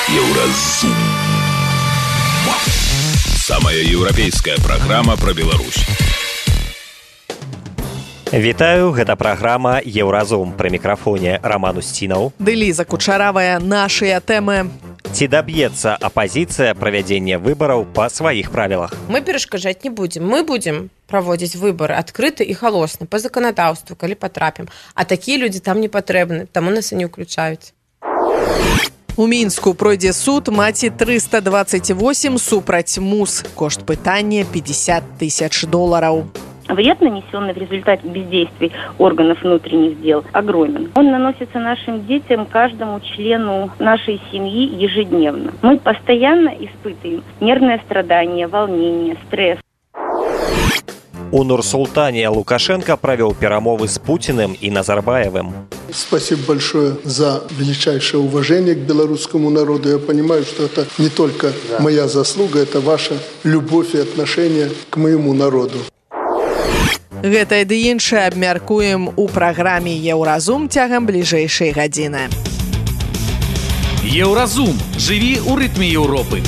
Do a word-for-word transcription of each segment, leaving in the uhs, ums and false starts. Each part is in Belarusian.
Еўразум. Самая еўрапейская праграма пра Беларусь. Вітаю, гэта праграма «Еўразум». Пры мікрафоне Роман Устінаў. Ды Ліза Кучаравая, нашыя тэмы. Ці даб'ецца апазіцыя правядзення выбараў па сваіх правілах? Мы перашкаджаць не будзем. Мы будзем праводзіць выбары адкрыта і халосна, па заканадаўству, калі патрапім. А такія людзі там не патрэбны, таму нас і не ўключаюць. У Мінску пройдзе суд маці трыста двадцать восемь супраць МУС. Кошт пытання пятьдесят тысяч долларов. Вред, нанесенный в результате бездействий органов внутренних дел, огромен. Он наносится нашим детям, каждому члену нашей семьи ежедневно. Мы постоянно испытываем нервное страдание, волнение, стресс. У Нур-Султане Лукашенко провел перемовы с Путиным и Назарбаевым. Спасибо большое за величайшее уважение к белорусскому народу. Я понимаю, что это не только да. моя заслуга, это ваша любовь и отношение к моему народу. Гэта ды іншае абмяркуем у праграме «Еўразум» цягам бліжэйшай гадзіны. Еўразум. Жыві ў рытме Еўропы.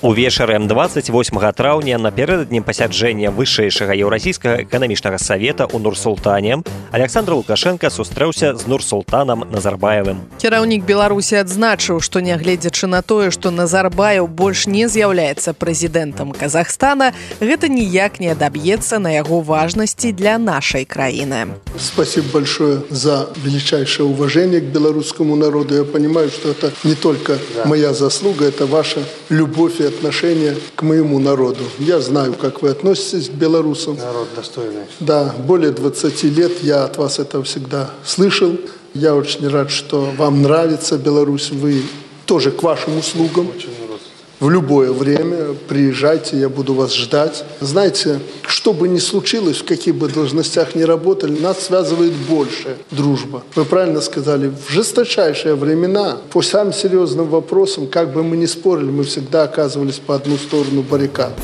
Увечары двадцать восьмага траўня напярэдадні пасяджэння вышэйшага еўразійскага эканамічнага савета ў Нур-Султане Александр Лукашенко сустрэўся з Нур-Султанам Назарбаевым. Кіраўнік Беларусі адзначыў, што нягледзячы на тое, што Назарбаев больш не з'яўляецца прэзідэнтам Казахстана, гэта ніяк не адаб'ецца на яго важнасці для нашай краіны. Спасибо большое за величайшее уважение к белорусскому народу. Я понимаю, что это не только да. моя заслуга, это ваша любовь и отношение к моему народу. Я знаю, как вы относитесь к белорусам. Народ достойный. Да, более двадцати лет я от вас это всегда слышал. Я очень рад, что вам нравится Беларусь. Вы тоже к вашим услугам. Очень рад. В любое время приезжайте, я буду вас ждать. Знаете, что бы ни случилось, в каких бы должностях ни работали, нас связывает больше дружба. Вы правильно сказали, в жесточайшие времена, по самым серьезным вопросам, как бы мы ни спорили, мы всегда оказывались по одну сторону баррикад.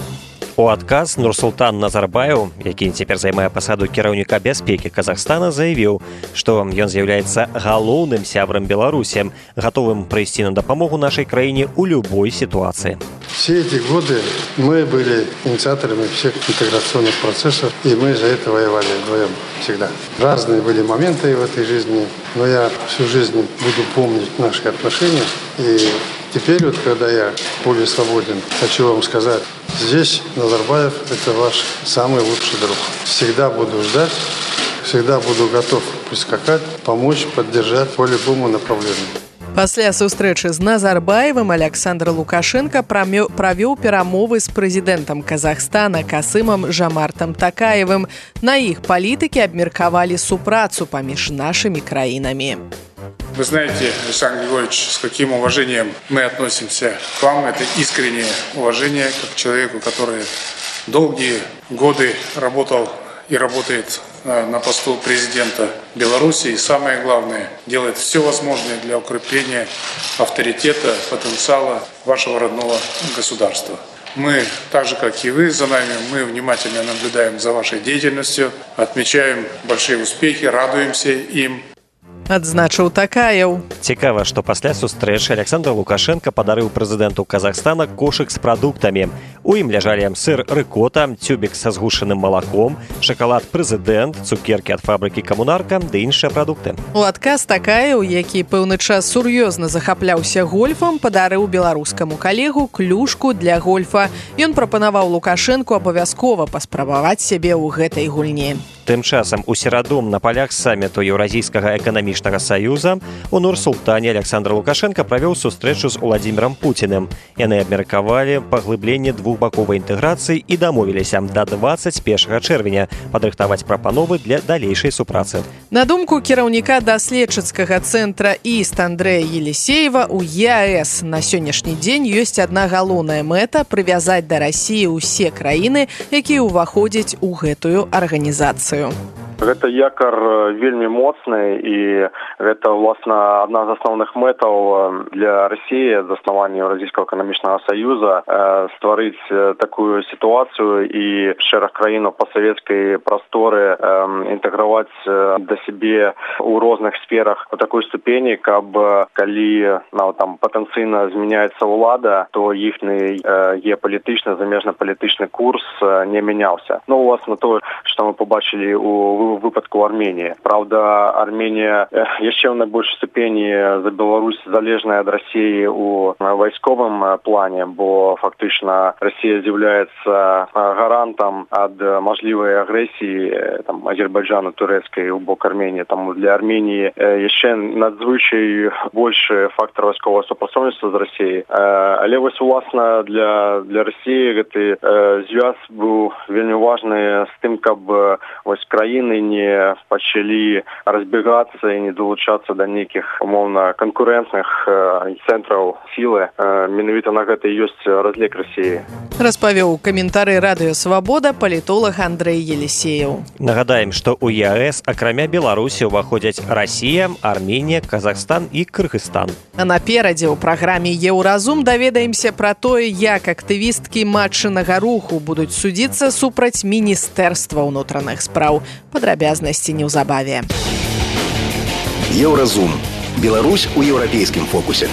У адказ Нур-Султан Назарбаев, які цяпер займае пасаду кіраўніка бяспекі Казахстана, заявіў, што ён з'яўляецца галоўным сябрам Беларусі, гатовым прыйсці на дапамогу нашай краіне ў любой ситуации. Все эти годы мы были инициаторами всех интеграционных процессов, и мы за это воевали вдвоем всегда. Разные были моменты в этой жизни, но я всю жизнь буду помнить наши отношения. И теперь, вот, когда я более свободен, хочу вам сказать, здесь Назарбаев – это ваш самый лучший друг. Всегда буду ждать, всегда буду готов прискакать, помочь, поддержать по любому направлению. Пасля сустрэчы з Назарбаевым Александр Лукашенко правёў перамовы з прэзідэнтам Казахстана Касымам Жамартам Такаевым. На іх палітыкі абмеркавалі супрацу паміж нашымі краінамі. Вы знаете, Александр Григорьевич, с каким уважением мы относимся к вам. Это искреннее уважение как к человеку, который долгие годы работал и работает на посту президента Беларуси. И самое главное, делает все возможное для укрепления авторитета, потенциала вашего родного государства. Мы, так же как и вы, за нами, мы внимательно наблюдаем за вашей деятельностью, отмечаем большие успехи, радуемся им. Адзначыў Такаеў. Цікава, што пасля сустрэчы Александр Лукашенко падарыў прэзідэнту Казахстана кошык з прадуктамі. У ім ляжалі сыр рыкота, цюбік са згушаным малаком, шакалад прэзідэнт, цукеркі ад фабрыкі «Камунарка» ды іншыя прадукты. У адказ Такаеў, які пэўны час сур'ёзна захапляўся гольфам, падарыў беларускаму калегу клюшку для гольфа. Ён прапанаваў Лукашэнку абавязкова паспрабаваць сябе ў гэтай гульні. Тым часам у сераду на палях самміту Еўразійскага эканамічнага саюза у Нур-Султане Александр Лукашенко правёў сустрэчу з Уладзімірам Пуціным. Яны абмеркавалі паглыбленне двухбаковай інтэграцыі і дамовіліся да двадцать першага чэрвеня падрыхтаваць прапановы для далейшай супрацы. На думку кіраўніка даследчыцкага цэнтра ІСТ Андрэя Елісеева, у ЕАЭС на сённяшні дзень ёсць адна галоўная мэта – прывязаць да Расіі ўсе краіны, якія ўваходзяць у гэтую арганізацыю. Гэта якар вельмі моцны і гэта, власна, адна з асноўных мэтаў для России заснавання Еўразійскага эканамічнага саюза стварыць такую сітуацыю і шэраг краінаў пасавецкай прасторы інтэграваць да сябе у розных сферах у такой ступені, каб калі ну, там патэнцыйна змяняецца ўлада, то іхны геапалітычны, замежна-палітычны курс не мяняўся. Ну, власна, то, што мы побачили у в выпадку Армении. Правда, Армения еще в наибольшей ступени за Беларусь залежная от России у войсковом плане, бо фактично Россия является гарантом от можливой агрессии там, Азербайджана, турецкой у бок Армении. Там для Армении еще надзвычай больше фактор войскового сопрацоўніцтва з Россией. Але вось власна для для России гэты звяз был вельмі важны з тым, каб вось краіны не пачалі разбегацца і не долучацца да нейкіх умоўна канкурэнтных цэнтраў сілы. Менавіта на гэта і ёсць разлік России. Распавёў каментары Радыё Свабода палітолог Андрэй Елисеев. Нагадаем, што ў ЕАЭС акрамя Беларусі ўваходзяць Расія, Арменія, Казахстан і Кыргызстан. А наперадзе ў праграме Еўразум даведаемся пра тое, як актывісткі матчынага руху будуць судзіцца супраць Міністэрства ўнутраных спраў. Падрабязнасці неўзабаве. Еўразум. Беларусь у еўрапейскім фокусе.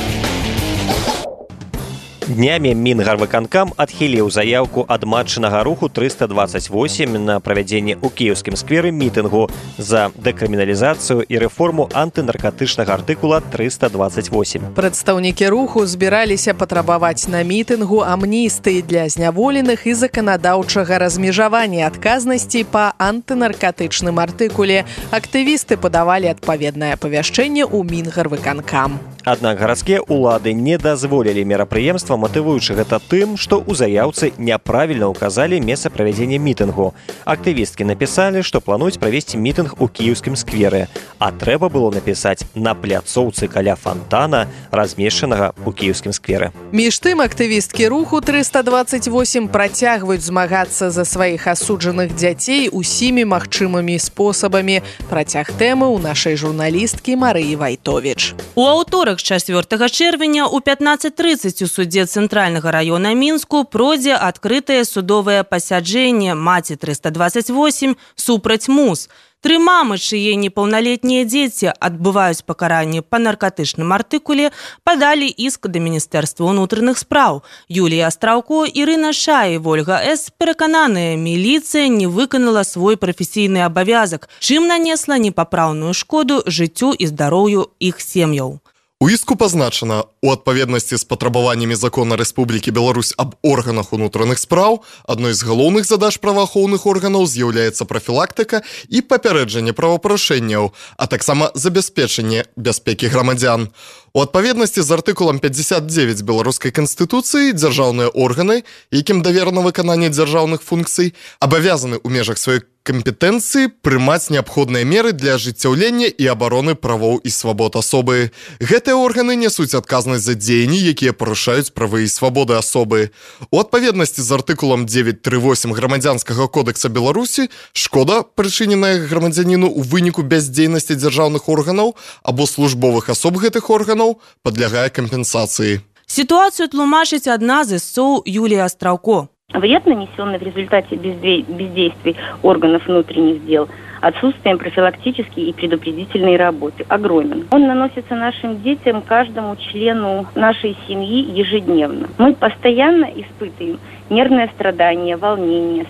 Днямі Мінгарвыканкам адхіліў заяўку ад матчынага руху трыста дваццаць восем на правядзенне ў кіеўскім скверы мітынгу за дэкрыміналізацыю і рэформу антынаркатычнага артыкула трыста дваццаць восем. Прадстаўнікі руху збіраліся патрабаваць на мітынгу амністыі для зняволеных і заканадаўчага размежавання адказнасці па антынаркатычным артыкуле. Актывісты падавалі адпаведнае павяшчэнне ў Мінгарвыканкам. Аднак гарадскія ўлады не дазволілі мерапрыемства, матывуючы гэта тым, што ў заяўцы няправільна ўказалі месца правядзення мітынгу. Актывісткі напісалі, што плануюць правесці мітынг у кіеўскім скверы, а трэба было напісаць на пляцоўцы каля фантана, размешчанага ў кіеўскім скверы. Між тым, актывісткі руху трыста дваццаць восем працягваюць змагацца за сваіх асуджаных дзяцей усімі магчымымі спосабамі. Працяг тэмы ў нашай журналісткі Марыі Вайтовіч. У аўторак чацвёртага чэрвеня ў пятнаццаць трыццаць у судзе Цэнтральнага раёна Мінску пройдзе адкрытае судовае пасяджэнне маці трыста дваццаць восем супраць МУС. Тры мамы, чые непаўналетнія дзеці адбываюць пакаранне па наркатычным артыкуле, падалі іск да Міністэрства ўнутраных спраў. Юлія Астраўко, Ірына Шай і Вольга С. перакананыя, міліцыя не выканала свой прафесійны абавязак, чым нанесла непапраўную шкоду жыццю і здароўю іх сем'яў. У іску пазначана, у адпаведнасці з патрабаваннямі закона Рэспублікі Беларусь аб органах унутраных спраў, адной з галоўных задач праваахоўных органаў з'яўляецца прафілактыка і папярэджанне правапарушэнняў, а таксама забяспечанне бяспекі грамадзян. У адпаведнасці з артыкулам пятьдесят девять беларускай канстытуцыі дзяржаўныя органы, якім даверана выкананне дзяржаўных функцый, абавязаны ў межах сваёй кампетэнцыі прымаць неабходныя меры для ажыццяўлення і абароны правоў і свабод асобы. Гэтыя органы нясуць адказнасць за дзеянні, якія парушаюць правы і свабоды асобы. У адпаведнасці з артыкулам девять тридцать восемь грамадзянскага кодекса Беларусі шкода, прычыненая грамадзяніну ў выніку бяздзейнасці дзяржаўных органаў або службовых асоб гэтых органаў, падлягае кампенсацыі. Ситуацию тлумачыць адна з ісцоў Юлія Астраўко. Вред, нанесенный в результате бездействий органов внутренних дел, отсутствием профилактической и предупредительной работы, огромен. Он наносится нашим детям, каждому члену нашей семьи ежедневно. Мы постоянно испытываем нервное страдание, волнение,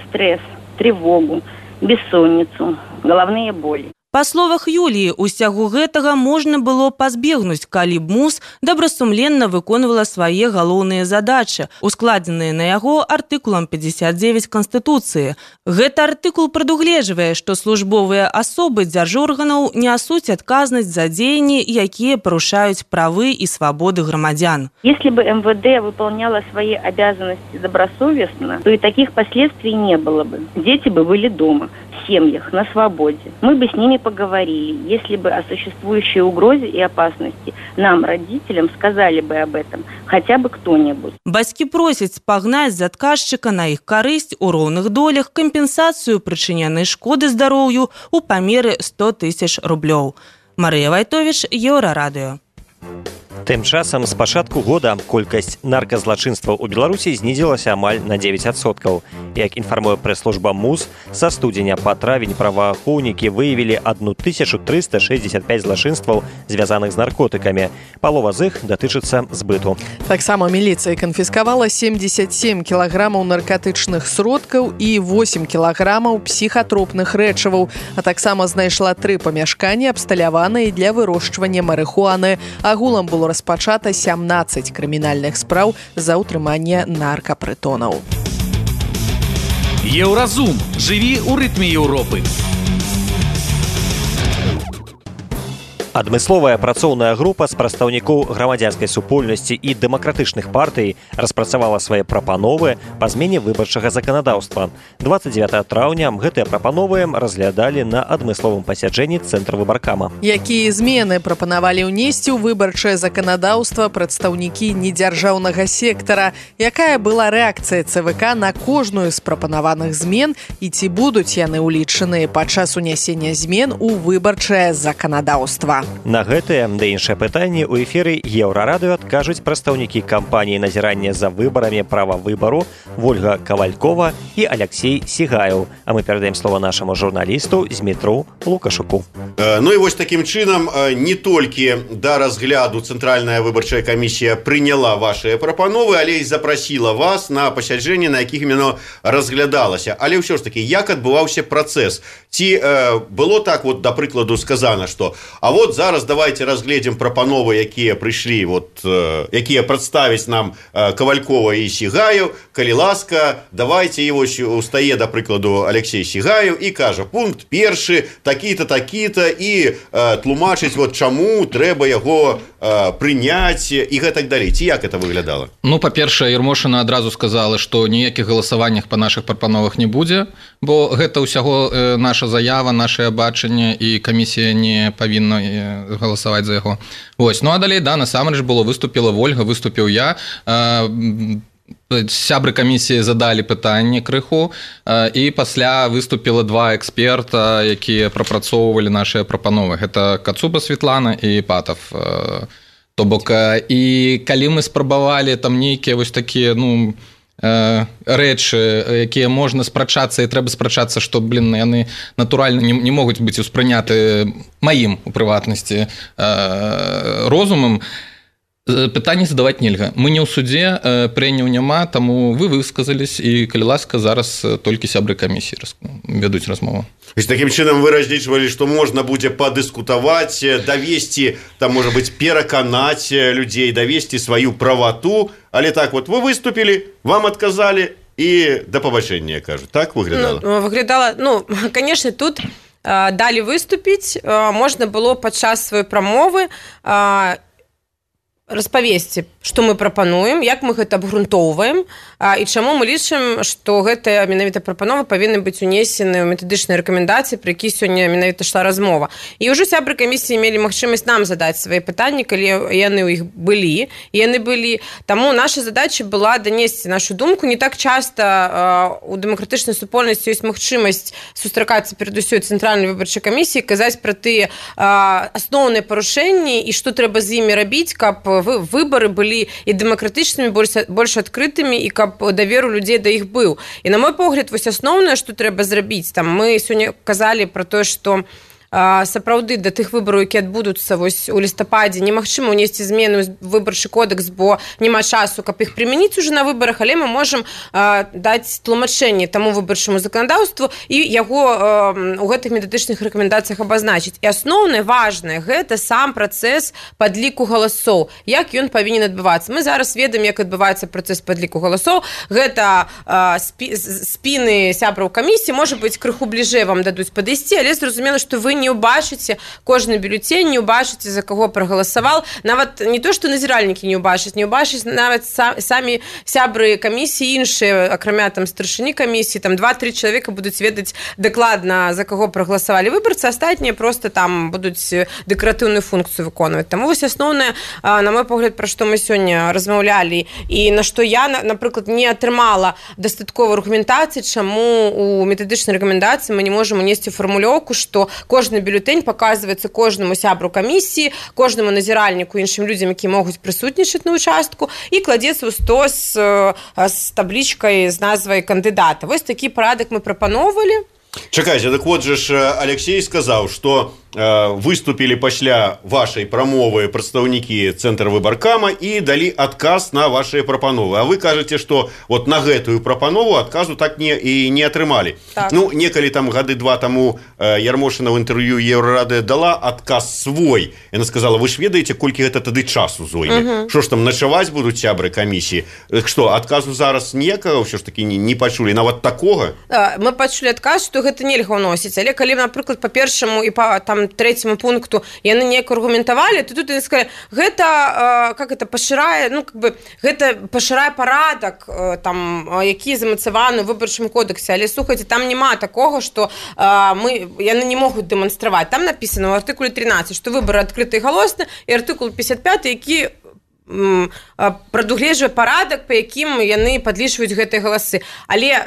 стресс, тревогу, бессонницу, головные боли. Па словах Юліі, усяго гэтага можна было пазбегнуць, калі б МУС добрасумленна выконвала свае галоўныя задачы, ускладзеныя на яго артыкулам пятьдесят девять Канстытуцыі. Гэты артыкул прадугледжвае, што службовыя асобы дзяржорганаў нясуць адказнасць за дзеянні, якія парушаюць правы і свабоды грамадзян. Если бы эм вэ дэ выполняло свои обязанности добросовестно, то и таких последствий не было бы. Дети бы были дома, в семьях, на свободе. Мы бы с ними поговорили, если бы о существующей угрозе и опасности нам, родителям, сказали бы об этом хотя бы кто-нибудь. Бацькі просяць спагнаць з адказчыка на іх карысць у роўных долях кампенсацыю прычыненай шкоды здароўю ў памеры сто тысяч рублёў. Марыя Вайтовіч, Еўрарадыё. Тым часам з пачатку года колькасць нарказлачынстваў у Беларусі знізілася амаль на дзевяць адсоткаў. Як інфармуе прэс-служба МУЗ, са студзеня па травень праваахоўнікі выявілі тысячу трыста шэсцьдзесят пяць злачынстваў, звязаных з наркотыкамі. Палова з іх датычыцца збыту. Таксама міліцыя канфіскавала семьдесят семь кілаграмаў наркотычных сродкаў і восемь кілаграмаў псіхатропных рэчываў, а таксама знайшла тры памяшканні, абсталяваныя для вырошчвання марыхуаны. Агулам было распачата сямнаццаць крымінальных спраў за ўтрыманне наркапрытонаў. Еўразум. Жыві ў рытме Еўропы. Адмысловая працоўная група з прадстаўнікоў грамадзянскай супольнасці і дэмакратычных партый распрацавала свае прапановы па змене выбарчага заканадаўства. дваццаць дзевятага траўня гэтыя прапановы разглядалі на адмысловым пасяджэнні цэнтра выбаркама. Якія змены прапанавалі ўнесці ў выбарчае заканадаўства прадстаўнікі недзяржаўнага сектара? Якая была рэакцыя ЦВК на кожную з прапанаваных змен і ці будуць яны ўлічаныя падчас унясення змен у выбарчае заканадаўства? На гэтыя да іншыя пытанні ў эфіры Еўрарадыё адкажуць прадстаўнікі кампаніі назірання за выбарамі права выбару Вольга Кавалькова і Алексей Сігаяў. А мы перадаем слова нашаму журналісту Змітру Лукашуку. Ну і вось такім чынам не толькі да разгляду Цэнтральная выбарчая камісія прыняла вашыя прапановы, але і запрасіла вас на пасяджэнні, на якіх іменно разглядалася. Але ўсё ж такі, як адбываўся працэс? Ці э, было так, вот, да прыкладу, сказана, што а вот зараз давайте разгледзім прапановы, якія прыйшлі, вот, э, якія прадставіць нам э, Кавалькова і Сігаяў. Калі ласка, давайте его устае, да прыкладу, Алексей Сігаяў і кажа, пункт першы, такі-то, такі-то, і э, тлумачыць, вот, чаму трэба яго э, прыняць і гэтак далей. Ці як это выглядала? Ну, па-першае, Ермошына адразу сказала, што ніякіх галасаваннях па нашых прапановах не будзе, бо гэта ўсяго э, наша заява, нашае бачанне, і камісія не павінна галасаваць за яго. Вось. Ну, а далей, да, насамрэч было, выступіла Вольга, выступіў я. Э, сябры камісіі задалі пытанне крыху, э, і пасля выступіла два эксперта, якія прапрацоўвалі нашыя прапановы. Гэта Кацуба Светлана і Патов. Э, то бок, э, і калі мы спрабавалі там нейкія вось такія, ну, рэчы, якія можна спрачацца, і трэба спрачацца, што, блин, яны натуральна не, не могуць быць успрыняты маім, у прыватнасці, розумам, пытанне задаваць нельга. Мы не ў судзе, прэнняў няма, таму вы высказались, і, калі ласка, зараз толькі сябры камісіі вядуць размову. Такім чынам вы разлічвалі, што можна будзе падыскутаваць, давесці, там, можа быць, пераканаць людзей, давесці сваю правату, але так вот, вы выступілі, вам адказалі, і да пабачэння, кажу. Так выглядала? Ну, выглядала, ну, конечно, тут э, далі выступіць, э, можна было падчас сваёй прамовы э, распавесці, што мы прапануем, як мы гэта абгрунтоўваем, і чаму мы лічым, што гэтая менавіта прапанова павінны быць унесены ў метадычныя рэкамендацыі, пра які сёння менавіта ішла размова. І ўжо сябры камісіі мелі магчымасць нам задаць свае пытанні, калі яны ў іх былі, яны былі. Таму наша задача была данесці нашу думку. Не так часта у дэмакратычнай супольнасці ёсць магчымасць сустракацца перад усёй цэнтральнай выбарчай камісіі, казаць пра тыя асноўныя парушэнні і што трэба з імі рабіць, каб выборы былі і дэмакратычнымі, больш, больш адкрытымі, і каб давер у людзей да іх быў. І на мой погляд, вось асноўнае, што трэба зрабіць, там мы сёння казалі пра тое, што сапраўды да тых выбараў, які адбудуцца вось у лістападзе, немагчыма ўнесці змены ў выбарчы кодекс, бо няма часу, каб іх прымяніць уже на выбарах, але мы можам а, даць тлумачэнне таму выбарчаму заканадаўству і яго а, у гэтых метадычных рэкамендацыях абазначыць. І асноўнае, важнае, гэта сам працэс падліку галасоў, як ён павінен адбывацца. Мы зараз ведаем, як адбываецца працэс падліку галасоў. Гэта а, спі, спіны сябраў камісіі, можа быць, крыху бліжэй вам дадуць падысці, але зразумела, што вы не ўбачыце кожны бюлетень, не ўбачыце, за каго прагаласаваў. Нават не то, што назіральнікі не ўбачаць, не ўбачаць нават самі сябры камісіі іншыя, акрамя там старшыні камісіі, там два-тры чалавека будуць ведаць дакладна, за каго прагаласавалі выбарцы, астатнія просто там будуць дэкаратыўную функцыю выконваць. Таму вось асноўнае, на мой погляд, пра што мы сёння размаўлялі, і на што я, напрыклад, не атрымала дастатковай аргументацыі, чаму у метадычнай рэкамендацыі мы не можам унесці фармулёўку, што кожны бюлетень паказваецца кожнаму сябру камісіі, кожнаму назіральніку, іншым людзям, які могуць прысутнічаць на участку, і кладзецца ў стос з таблічкай з назвай кандыдата. Вось такі парадак мы прапаноўвалі. Чакайце, так вот же ж Алексей сказаў, што э, выступілі пасля вашай прамовы прадстаўнікі цэнтра выбаркама і далі адказ на вашыя прапановы. А вы кажаце, што вот на гэтую прапанову адказу так не, і не атрымалі. Так. Ну, некалі там гады два таму э, Ярмошына ў інтэрв'ю Еўрарады дала адказ свой. Яна сказала, вы ж ведаеце, колькі гэта тады часу зойме. Што ж там, начаваць будуць сябры камісіі? Што, адказу зараз ніякага ўсё ж такі не, не пачулі, нават такога? Мы пачулі адказ, што гэта нельга ўносіць, але калі, напрыклад, па першаму і па там трэцяму пункту яны неяк аргументавалі, то тут яны сказалі, гэта э, как это пашырае, ну как бы гэта пашырае парадак э, там, які замацаваны ў выбарчым кодексе, але слухайце, там няма такога, што э, мы яны не могуць дэманстраваць. Там напісана ў артыкуле трынаццаць, што выбары адкрыты і галосны, і артыкул пятьдесят пять, які прадугледжвае парадак, па якім яны падлічваюць гэтыя галасы. Але,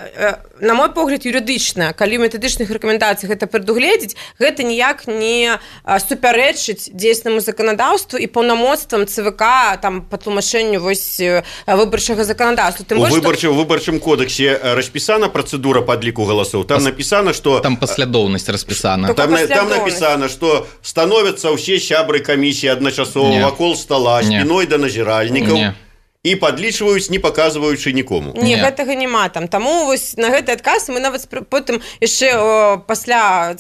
на мой погляд, юрыдычна, калі ў метадычных рэкамендацыях гэта прадугледзець, гэта ніяк не супярэчыць дзейснаму заканадаўству і паўнамоцтвам ЦВК там па тлумачэнню вось выбарчага заканадаўства. У выбарчым, што... выбарчым кодексе распісана працэдура падліку галасоў. Там Пас... напісана, што... Там паслядоўнасць распісана. Там, там напісана, што становяцца ўсе сябры камісіі адначасова вакол стола, спіной да назіральнікаў і падлічваюць, не паказваючы нікому. Не, не, гэтага няма там. Таму вось на гэты адказ мы нават потым яшчэ пасля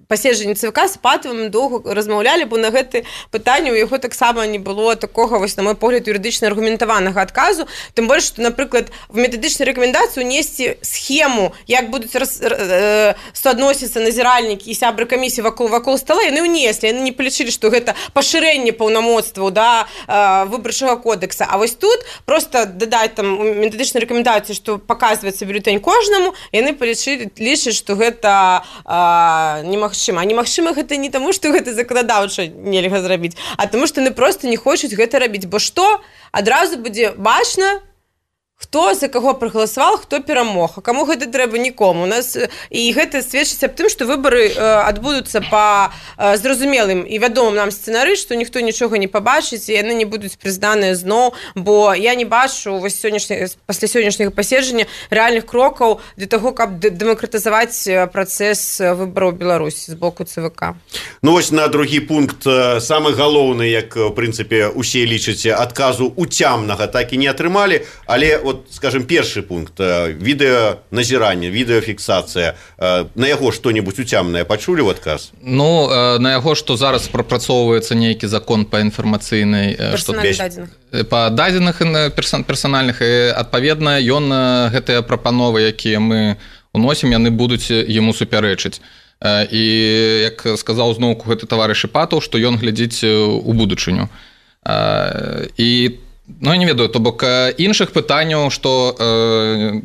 паседжання ЦВК з Патавым доўга размаўлялі, бо на гэты пытанне у яго таксама не было такога, вось, на мой погляд, юрыдычна аргументаванага адказу. Тым больш, што, напрыклад, в метадычнай рэкамендацыі унесці схему, як будуць раз, э, суадносіцца назіральнікі і сябры камісіі вакол, вакол стола, яны ўнеслі. Яны не палічылі, што гэта пашырэнне паўнамоцтваў да э, выбарчага кодекса. А вось тут просто дадаць там у метадычнай рэкамендацыі, што паказваецца бюлетень кожнаму, яны палічылі, лічаць, што гэта э, немагчыма. А немагчыма гэта не таму, што гэта заканадаўча нельга зрабіць, а таму, што яны проста не хочуць гэта рабіць. Бо што? Адразу будзе бачна, хто за каго прагаласаваў, хто перамог. А каму гэта трэба? Нікому. У нас і гэта сведчыць аб тым, што выбары адбудуцца па зразумелым і вядомым нам сцэнары, што ніхто нічога не пабачыць, і яны не будуць прызнаныя зноў, бо я не бачу вось сённяшняга пасля сённяшняга паседжання рэальных крокаў для таго, каб дэмакратызаваць працэс выбараў Беларусі з боку ЦВК. Ну вось на другі пункт, самы галоўны, як у прынцыпе усе лічаць, адказу уцямнага так і не атрымалі, але вот, скажем, першы пункт, відэаназіранне, відэафіксацыя, на яго што-небудзь уцямнае пачулі ў адказ? Ну, на яго, што зараз прапрацоўваецца нейкі закон па інфармацыйнай... Персанальных дадзеных. Па дадзеных персанальных, і, адпаведна, ён гэтыя прапановы, якія мы уносім, яны будуць яму супярэчыць. І, як сказаў зноўку гэты таварыш Патаў, што ён глядзіць у будучыню. І ну, я не ведаю, то бок іншых пытанняў, што э,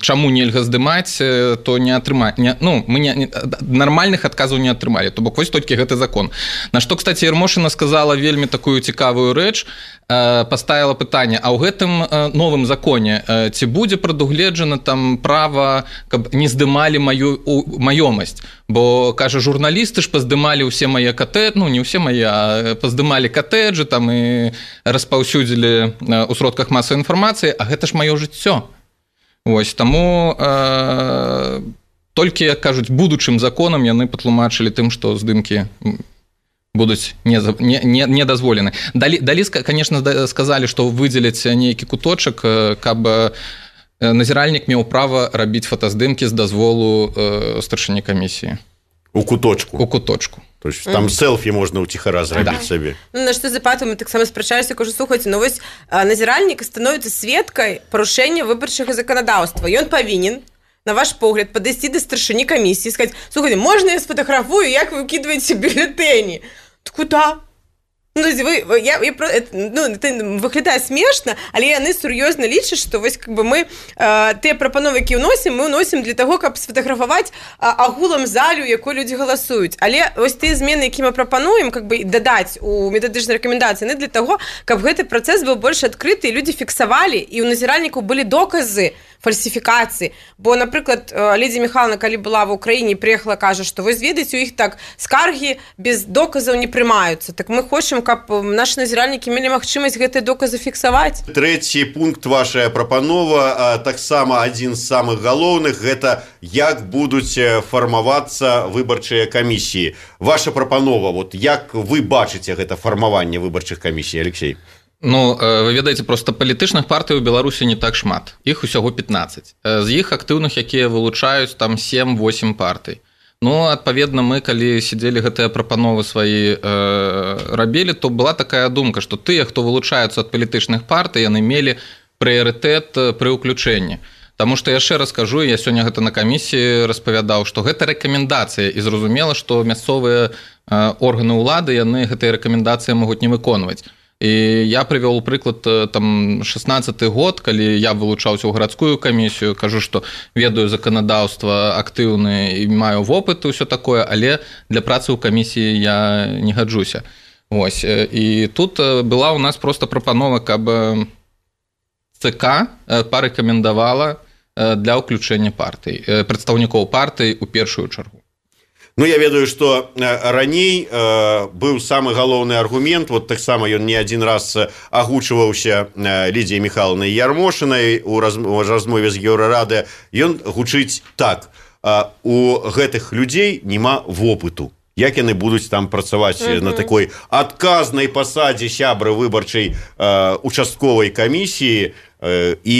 чаму нельга здымаць, то не атрымаць. Не, ну, мы не, не, нармальных адказаў не атрымалі, то бок вось толькі гэты закон. На што, кстати, Ярмошына сказала вельмі такую цікавую рэч, э, паставіла пытанне, а ў гэтым э, новым законе э, ці будзе прадугледжана там права, каб не здымалі маю маёмасць? Бо, кажа, журналісты ж паздымалі ўсе мае катэджы, ну, не ўсе мае, а паздымалі катэджы там і распаўсюдзілі у сродках масавай інфармацыі, а гэта ж маё жыццё. Вось, таму э, толькі, як кажуць, будучым законам яны патлумачылі тым, што здымкі будуць не, не, не, не дазволены. Далі, далі, конечно, сказалі, што выдзеляць нейкі куточак, каб назіральнік меў права рабіць фотаздымкі з дазволу э, старшыні камісіі. У куточку? У куточку. То есть там mm-hmm. селфі можна ўціхара зрабіць да. сабе. Ну, на што запату мы таксама спрачаліся, кажу, слухайце, ну вось назіральнік становіцца сведкай парушэння выбарчага заканадаўства. Ён павінен на ваш погляд, подойти до старшыні камісіі і сказаць: слухайте, можна я сфотографую, як вы выкидываете бюллетэні? Куда? Ну, вы, я, я, ну, это выглядае смешна, але яны сур'ёзна лічаць, што вось как бы мы э, тыя прапановы, які ўносім, мы ўносім для таго, каб сфотаграфаваць э, агулам залю, якой людзі галасуюць. Але вось тыя змены, які мы прапануем, как бы дадаць у метадычнай рэкамендацыі, яны для таго, каб гэты працэс быў больш адкрыты, і людзі фіксавалі, і ў назіральнікаў былі доказы фальсіфікацыі. Бо, напрыклад, Лідзія Міхайлаўна, калі была в Украіне, прыехала, кажа, што вось ведаеце, у іх так скаргі без доказаў не прымаюцца. Так мы хочам, каб наши назіральнікі мелі магчымасць гэтыя доказы фіксаваць. Трэці пункт вашая прапанова, таксама адзін з самых галоўных, гэта як будуць фармавацца выбарчыя камісіі. Ваша прапанова, вот як вы бачыце гэта фармаванне выбарчых камісій, Алексей? Ну, вы ведаеце, просто палітычных партый у Беларусі не так шмат. Іх усяго пятнаццаць. З іх актыўных, якія вылучаюць там сем-восем партый. Ну, адпаведна, мы, калі сидзелі гэтыя прапановы свае э, рабілі, то была такая думка, што тыя, хто вылучаюцца ад палітычных партый, яны мелі прыярытэт пры ўключэнні. Таму што яшчэ раз кажу, я сёння гэта на камісіі распавядаў, што гэта рэкамендацыя, і зразумела, што мясцовыя э, органы ўлады, яны гэтыя рэкамендацыі могуць не выконваць. І я прывёў прыклад там шэснаццаты год, калі я вылучаўся ў гарадскую камісію, кажу, што ведаю заканадаўства актыўны і маю вопыт і ўсё такое, але для працы ў камісіі я не гаджуся. Вось. І тут была ў нас проста прапанова, каб ЦК парэкамендавала для ўключэння партый, прадстаўнікоў партый у першую чаргу. Ну, я ведаю, што раней э, быў самы галоўны аргумент, вот таксама ён не адзін раз агучваўся Лідзіяй Міхайлаўнай Ярмошынай у раз, размове з Еўрарады. Ён гучыць так: э, у гэтых людзей няма вопыту. Як яны будуць там працаваць uh-huh. на такой адказнай пасадзе сябры выбарчай э, участковай камісіі э, і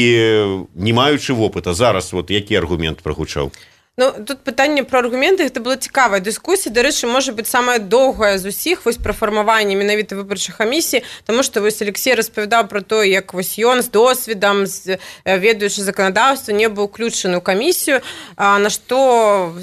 не маючы вопыта. Зараз вот які аргумент прагучаў? Ну, тут пытанне пра аргументы, гэта была цікавая дыскусія. Дарэчы, можа быць, самая доўгая з усіх вось пра фармаванне менавіта выбарчых камісій, таму што вось Алексей распавядаў пра то, як вось ён з досведам, з, ведаючы заканадаўства, не быў уключаны ў камісію, а, на што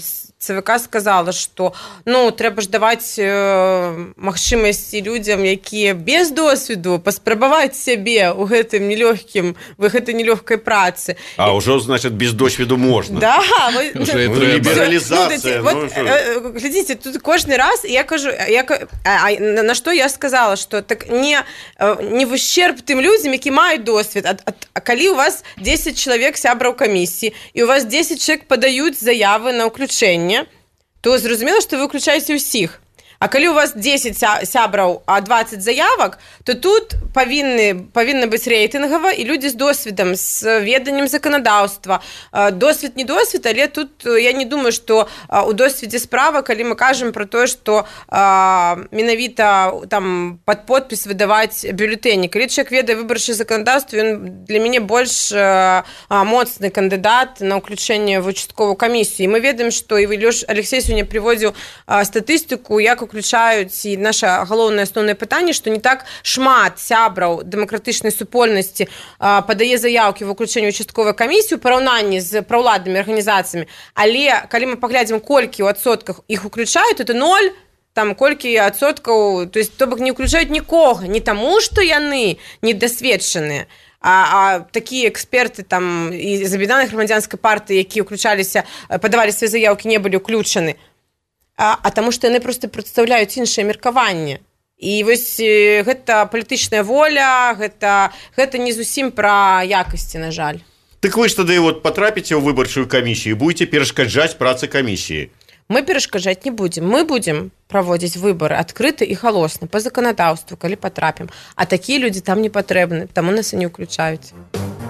ЦВК сказала, што ну, трэба ж даваць э, магчымасці людзям, якія без досведу, паспрабаваць сябе ў гэтым нелёгкім, в гэтай нелёгкай працы. А ўжо, значит, без досведу можна. Да, вы, лібералізацыя. Ну, вот, э, глядзіце, тут кожны раз я кажу, я, а, а, на што я сказала, што так не, не в ущерб тым людзям, які маюць досвед. А, а, а калі у вас дзесяць чалавек сябраў камісіі, і у вас дзесяць чалавек падаюць заявы на ўключэнне, то зразумела, што вы ўключаеце ўсіх. А калі у вас дзесяць сябраў, а дваццаць заявак, то тут павінны, павінна быць рэйтынгава, і людзі з досведам, з веданнем заканадаўства. Досвед не досвед, але тут я не думаю, што у досведзе справа, калі мы кажам пра тое, што менавіта там пад подпіс выдаваць бюлетэні. Калі чалавек ведае выбарчае заканадаўства, ён для мяне больш моцны кандыдат на ўключэнне в участковую камісію. І мы ведаем, што і Алексей сёння прыводзіў статыстыку, як уключаюць, і наша галоўнае асноўнае пытанне, што не так шмат сябраў дэмакратычнай супольнасці падае заяўкі в уключэнне участковай камісіі ў параўнанні з праўладнымі арганізацыямі, але калі мы паглядзім, колькі ў адсотках іх уключаюць, это ноль, там колькі адсоткаў, то есть то бок не уключаюць нікога, не таму, што яны недасведчаныя, а, а такія эксперты там і з аб'яднанай грамадзянскай партыі, якія ўключаліся, падавалі свае заяўкі, не былі ўключаны. А, а таму што яны проста прадстаўляюць іншае меркаванне. І вось гэта палітычная воля, гэта, гэта не зусім пра якасці, на жаль. Так вы ж тады вот патрапіце ў выбарчую камісію, будете перашкаджаць працы камісіі? Мы перашкаджаць не будзем. Мы будзем праводзіць выбары адкрыта і галосна, па заканадаўству, калі патрапім. А такія людзі там не патрэбны, таму нас і не ўключаюць.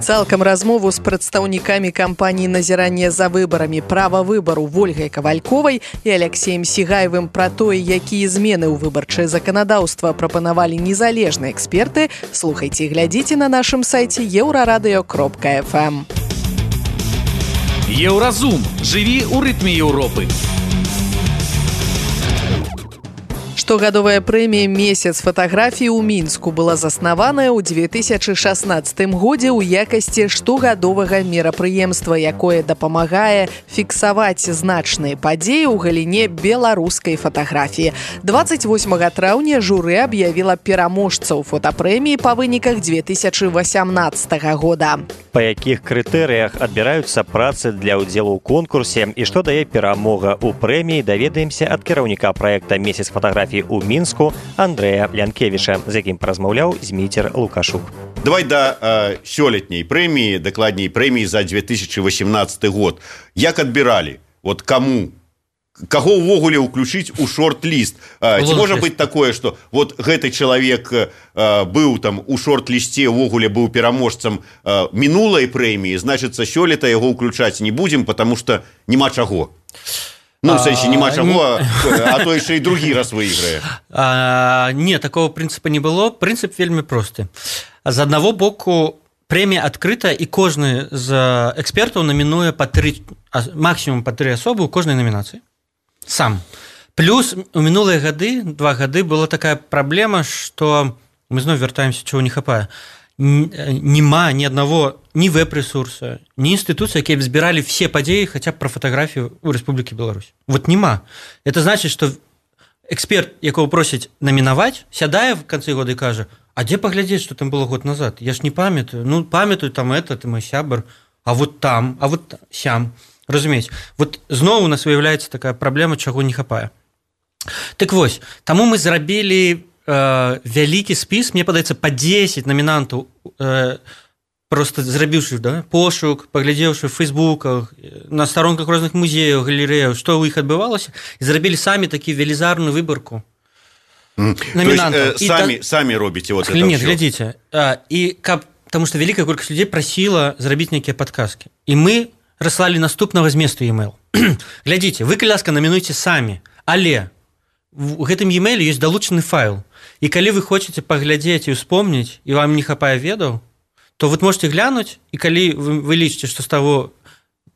Цалкам размову з прадстаўнікамі кампаніі назірання за выбарамі «Права выбару» Вольгай Кавальковай і Алексеем Сігаевым пра тое, якія змены ў выбарчае заканадаўства прапанавалі незалежныя эксперты, слухайце і глядзіце на нашым сайце еўрарадыё кропка эф эм. Еўразум. Жыві ў рытме Еўропы. Што Штогадовая прэмія «Месяц фатаграфій» у Мінску была заснаваная ў две тысячы шаснаццатым годзе ў якасці штогадовага мерапрыемства, якое дапамагае фіксаваць значныя падзеі ў галіне беларускай фатаграфіі. дваццаць восьмага траўня журы аб'явіла пераможцаў фотапрэміі па выніках две тысячы васямнаццатага года. Па якіх крытэрыях адбіраюцца працы для ўдзелу ў конкурсе і што дае перамога ў прэміі, даведаемся ад кіраўніка праекта «Месяц фатаграфій» у Мінску Андрэя Лянкевіча, з якім паразмаўляў Зміцер Лукашук. Давай да э, сёлетняй прэміі, дакладней прэміі за две тысячы васямнаццаты год. Як адбіралі? Вот каму? Каго ўвогуле ўключыць у шорт-ліст? Э, ці можа быць такое, што вот гэты чалавек э, быў там у шорт-лісце, ўвогуле быў пераможцам э, мінулай прэміі, значыцца, сёлета яго ўключаць не будзем, потому што няма чаго. Ну, в сэнсе, няма чаго, а, а то яшчэ і другі раз выйграе. А, не, такого прынцыпа не было. Прынцып вельмі просты. З аднаго боку, прэмія адкрыта, і кожны з экспертаў намінуе па тры, максімум па тры асобы ў кожнай намінацыі. Сам. Плюс у мінулыя гады, два гады, была такая праблема, што мы зноў вяртаемся, чаго не хапае. Нема ні аднаго ні веб-ресурса, ні інстытуцыі, якія б збіралі все падзеі хаця б пра фатаграфію ў Рэспублікі Беларусь. Вот нема. Это значыць, што эксперт, якого просяць намінаваць, сядае в канцы года і кажа: а дзе паглядзець, што там было год назад? Я ж не памятаю. Ну, памятаю там это, ты мой сябар, а вот там, а вот сям. Разумееце? Вот зноў у нас выяўляецца такая праблема, чаго не хапае. Так вось, таму мы зрабілі э, вялікі спіс, мне падаецца, па дзесяць намінантаў, э, просто зрабіўшы, да, пошук, паглядзеўшы в фейсбуках, на старонках розных музеяў, галерэяў, што ў іх адбывалася, і зрабілі самі такі велізарную выбарку намінантаў. То есть, э, самі, та... самі робіце вот это Нет, ўсё? глядзіце. А, і каб, таму што вялікая колькасць людзей прасіла зрабіць нейкія падказкі. І мы раслалі наступнага зместу e-mail. Глядзіце, вы, калі ласка, намінуйце самі, але у гэтым e-mailе ёсць далучаны файл. І калі вы хочаце паглядзець і ўспомніць, і вам не хапае ведаў, то вы можете глянуть, и коли вы, вы лічыце, што з таго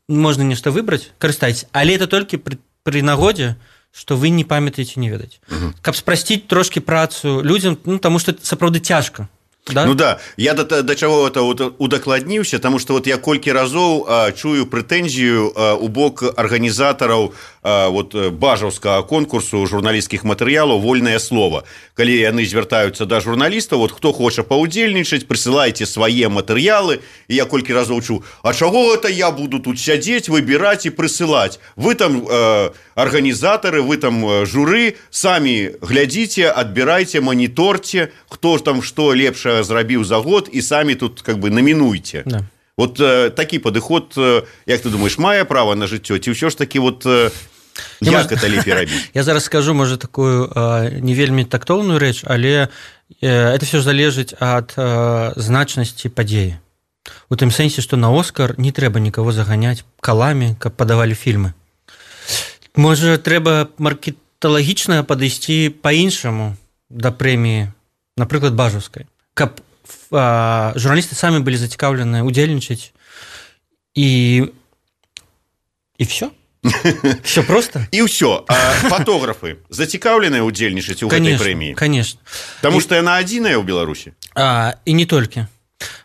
можна нешта выбраць, карыстайце. Але это толькі пры, пры нагодзе, што вы не памятаеце, не ведаеце. Угу. Каб спрасціць трошки працу людзям, ну, таму што сапраўды цяжка. Да? Ну да, я да, да чаго это удакладніўся, таму што вот я колькі разоў а, чую прэтэнзію а, у бок арганізатараў а, вот, бажаўскага конкурсу журналісцкіх матэрыялаў «Вольнае слова». Калі яны звяртаюцца да журналістаў, вот хто хоча паўдзельнічаць, прысылайце свае матэрыялы, і я колькі разоў чуў: а чаго гэта я буду тут сядзець, выбіраць і прысылаць? Вы там э, арганізатары, вы там журы, самі глядзіце, адбірайце, маніторце, хто там што лепшае зрабіў за год, і самі тут как бы намінуйце. Да. Вот э, такі падыход, э, як ты думаешь, мае права на жыццё, ці ўсё ж такі вот э, як это лепей рабіць? Я зараз скажу, можа, такую э, не вельмі тактоўную рэч, але э, это все залежыць ад э, значнасці падзеі. У тым сэнсе, што на Оскар не трэба нікого заганяць каламі, каб падавалі фільмы. Можа, трэба маркеталагічна падысці па-іншаму да прэміі, напрыклад, бажаўскай, каб а, журналісты самі былі зацікаўлены удзельнічаць, і і все. Все просто. І ўсё. А фотографы зацікаўленыя удзельнічаць у гэтай прэміі? Конечно. Таму што яна адзіная ў Беларусі? А, і не толькі.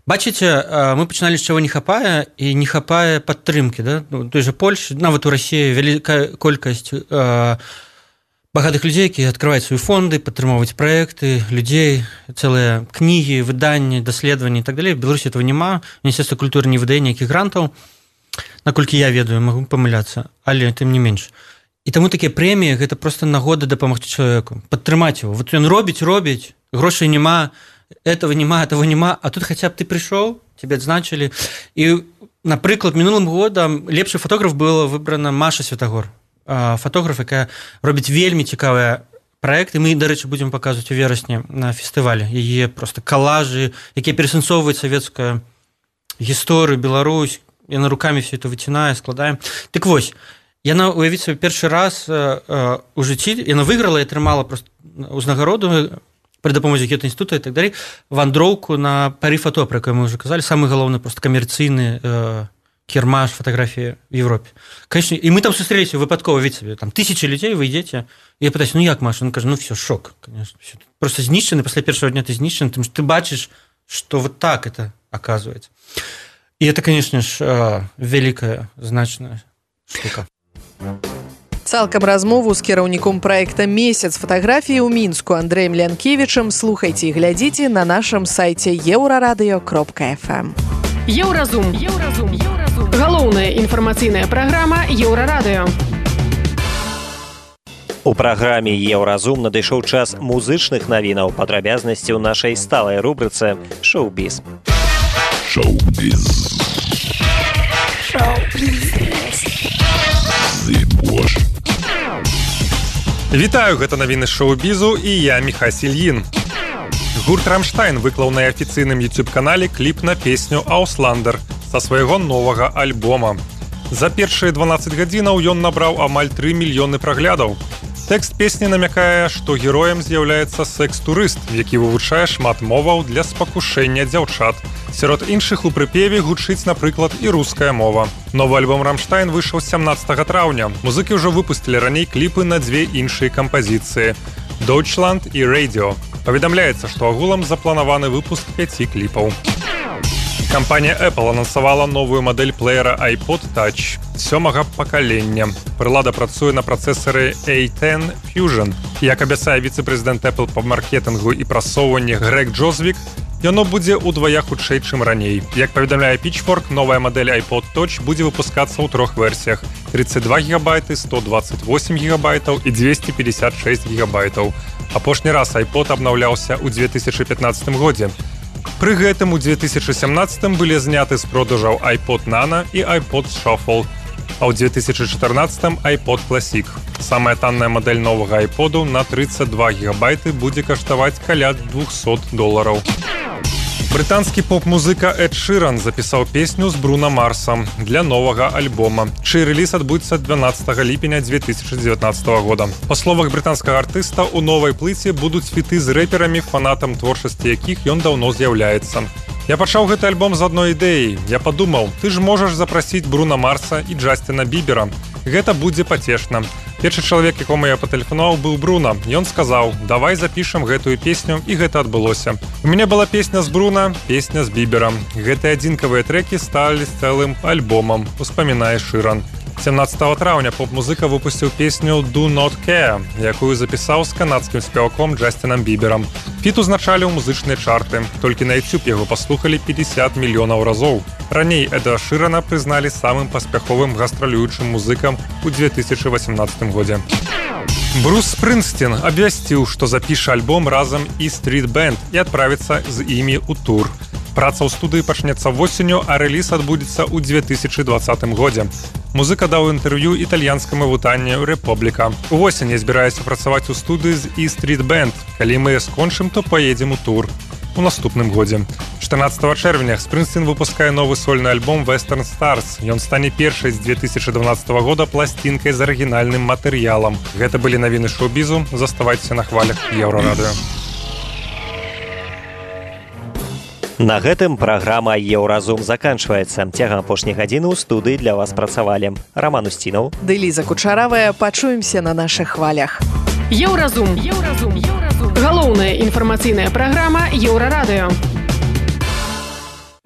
Бачыце, мы пачыналі з чаго не хапае, і не хапае падтрымкі, да? У той жа Польшы, нават у Расіі вялікая колькасць а, багатых людзей, якія адкрываюць свае фонды, падтрымоўваць праекты, людзей, цэлыя кнігі, выданні, даследаванні і так далей. В Беларусі этого няма. Міністэрства культуры не выдае ніякіх грантаў, наколькі я ведаю, магу памыляцца, але тым не менш. І таму такія прэміі гэта проста нагода дапамагчы чалавеку, падтрымаць его. Вот ён робіць, робіць, грошай няма, этого няма, этого няма, а тут хаця б ты прыйшоў, тебе адзначылі. І, напрыклад, мінулым годам лепшы фотограф была выбрана Маша Святагор, фотограф, якая робіць вельмі цікавыя праекты. Мы, дарэчы, будзем паказваць у верасні на фестывале яе просто калажы, якія перасэнсоўваюць савецкую гісторыю, Беларусь. Яна руками все это выцінае, складаем. Так вось, яна, уявіць сабе, першы раз э, э, у жыцці, яна выйграла і атрымала просто узнагароду пры дапамозе Гета-інстытута і так далей, вандроўку на Парі фото, про якую мы ўжо казалі, самы галоўны просто камерцыйны э, Кермаш, фотографии в Европе. Конечно, и мы там встретились выпадково, видите себе, там тысячи людей, вы идете, и я пытаюсь, ну як, Маша? Он каже, ну все, шок, конечно. Все. Просто знищены, после первого дня ты знищен, потому что ты бачишь, что вот так это оказывается. И это, конечно же, великая, значная штука. Цалкам размову з кіраўніком праекта «Месяц фатаграфіі» ў Мінску Андрэем Лянкевічам слухайце і глядзіце на нашым сайце еўрарадыё кропка эф эм. Еўразум. Еўразум. Еўразум. Галоўная інфармацыйная праграма Еўрарадыё. У праграме «Еўразум» надышоў час музычных навінаў, падрабязнасці ў нашай сталай рубрыцы «Шоу-біз». Шоу-біз. Шоу-біз. Вітаю, гэта навіны шоу-бізу і я Міхась Ільін. Гурт «Рамштайн» выклаў на афіцыйным YouTube-канале кліп на песню «Аусландер» са свайго новага альбома. За першыя дванаццаць гадзінаў ён набраў амаль тры мільёны праглядаў. Тэкст песні намякае, што героем з'яўляецца секс-турыст, які вывучае шмат моваў для спакушэння дзяўчат. Сярод іншых у прыпеве гучыць, напрыклад, і руская мова. Новы альбом «Рамштайн» выйшаў сямнаццатага траўня. Музыкі ўжо выпусцілі раней кліпы на дзве іншыя кампазіцыі – «Deutschland» і «Radio». Паведамляецца, што агулам запланаваны выпуск пяці кліпаў. Кампанія Apple анансавала новую мадэль плеера iPod Touch сёмага пакалення. Прылада працуе на працэсары эй дзесяць Fusion. Як абяцае віцэ-прэзідэнт Apple па маркетынгу і прасоўванні Грег Джозвік, яно будзе ўдвая хутчэй, чым раней. Як паведамляе Pitchfork, новая мадэль iPod Touch будзе выпускацца ў трох версіях – тридцать два гигабайты, сто двадцать восемь гигабайтаў і двести пятьдесят шесть гигабайтаў. Апошні раз iPod абнаўляўся ў две тысячы пятнаццатым годзе. Пры гэтым у две тысячы сямнаццатым былі зняты з продажаў iPod Nano і iPod Shuffle, а ў две тысячы чатырнаццатым iPod Classic. Самая танная мадэль новага iPod'у на тридцать два гигабайты будзе каштаваць каля двухсот долараў. Брытанскі поп-музыка Эд Ширан запісаў песню з Бруно Марсом для новага альбома, чый рэліз адбудзецца дванаццатага ліпеня две тысячы дзевятнаццатага года. Па словах брытанскага артыста, у новай плыце будуць фіты з рэперамі, фанатам творчасці якіх ён даўно з'яўляецца. Я пачаў гэты альбом з адной ідэі. Я падумаў, ты ж можаш запрасіць Бруно Марса і Джасціна Бібера. Гэта будзе пацешна. Першы чалавек, якому я патэлефанаваў, быў Бруно. Ён сказаў, давай запішам гэтую песню, і гэта адбылося. У мяне была песня з Бруно, песня з Біберам. Гэтыя адзінкавыя трэкі сталі цэлым альбомам, успамінае Ширан. сямнаццатага траўня поп-музыка выпусціў песню «Do Not Care», якую запісаў з канадскім спеваком Джасцінам Біберам. Фіт узначалі ў музычныя чарты. Толькі на YouTube яго паслухалі пятьдесят мільёнаў разоў. Раней Эда Ширана прызналі самым паспяховым гастралюючым музыкам у две тысячы васямнаццатым годзе. Брус Спрынгсцін абвясціў, што запіша альбом разам і Street Band і адправіцца з імі ў тур. Праца ў студыі пачнецца восенню, а рэліз адбудзецца ў две тысячы дваццатым годзе. Музыка даў інтэрв'ю італьянскаму выданню «Рэпубліка». Увосень я збіраюся працаваць у студыі з «І Street Band». Калі мы скончым, то паедзем у тур у наступным годзе. чатырнаццатага чэрвеня Спрынгсцін выпускае новы сольны альбом «Western Stars». Ён стане першай з две тысячы дванаццатага года пласцінкай з арыгінальным матэрыялам. Гэта былі навіны шоу-бізу. Заставайцеся на хвалях Еўрарадыё. На гэтым праграма «Еўразум» заканчваецца. Цягам апошняй гадзіны ў студыі для вас працавалі Роман Устінаў ды Ліза Кучаравая. Пачуемся на нашых хвалях. Еўразум. Еўразум. Еўразум. Галоўная інфармацыйная праграма Еўрарадыё.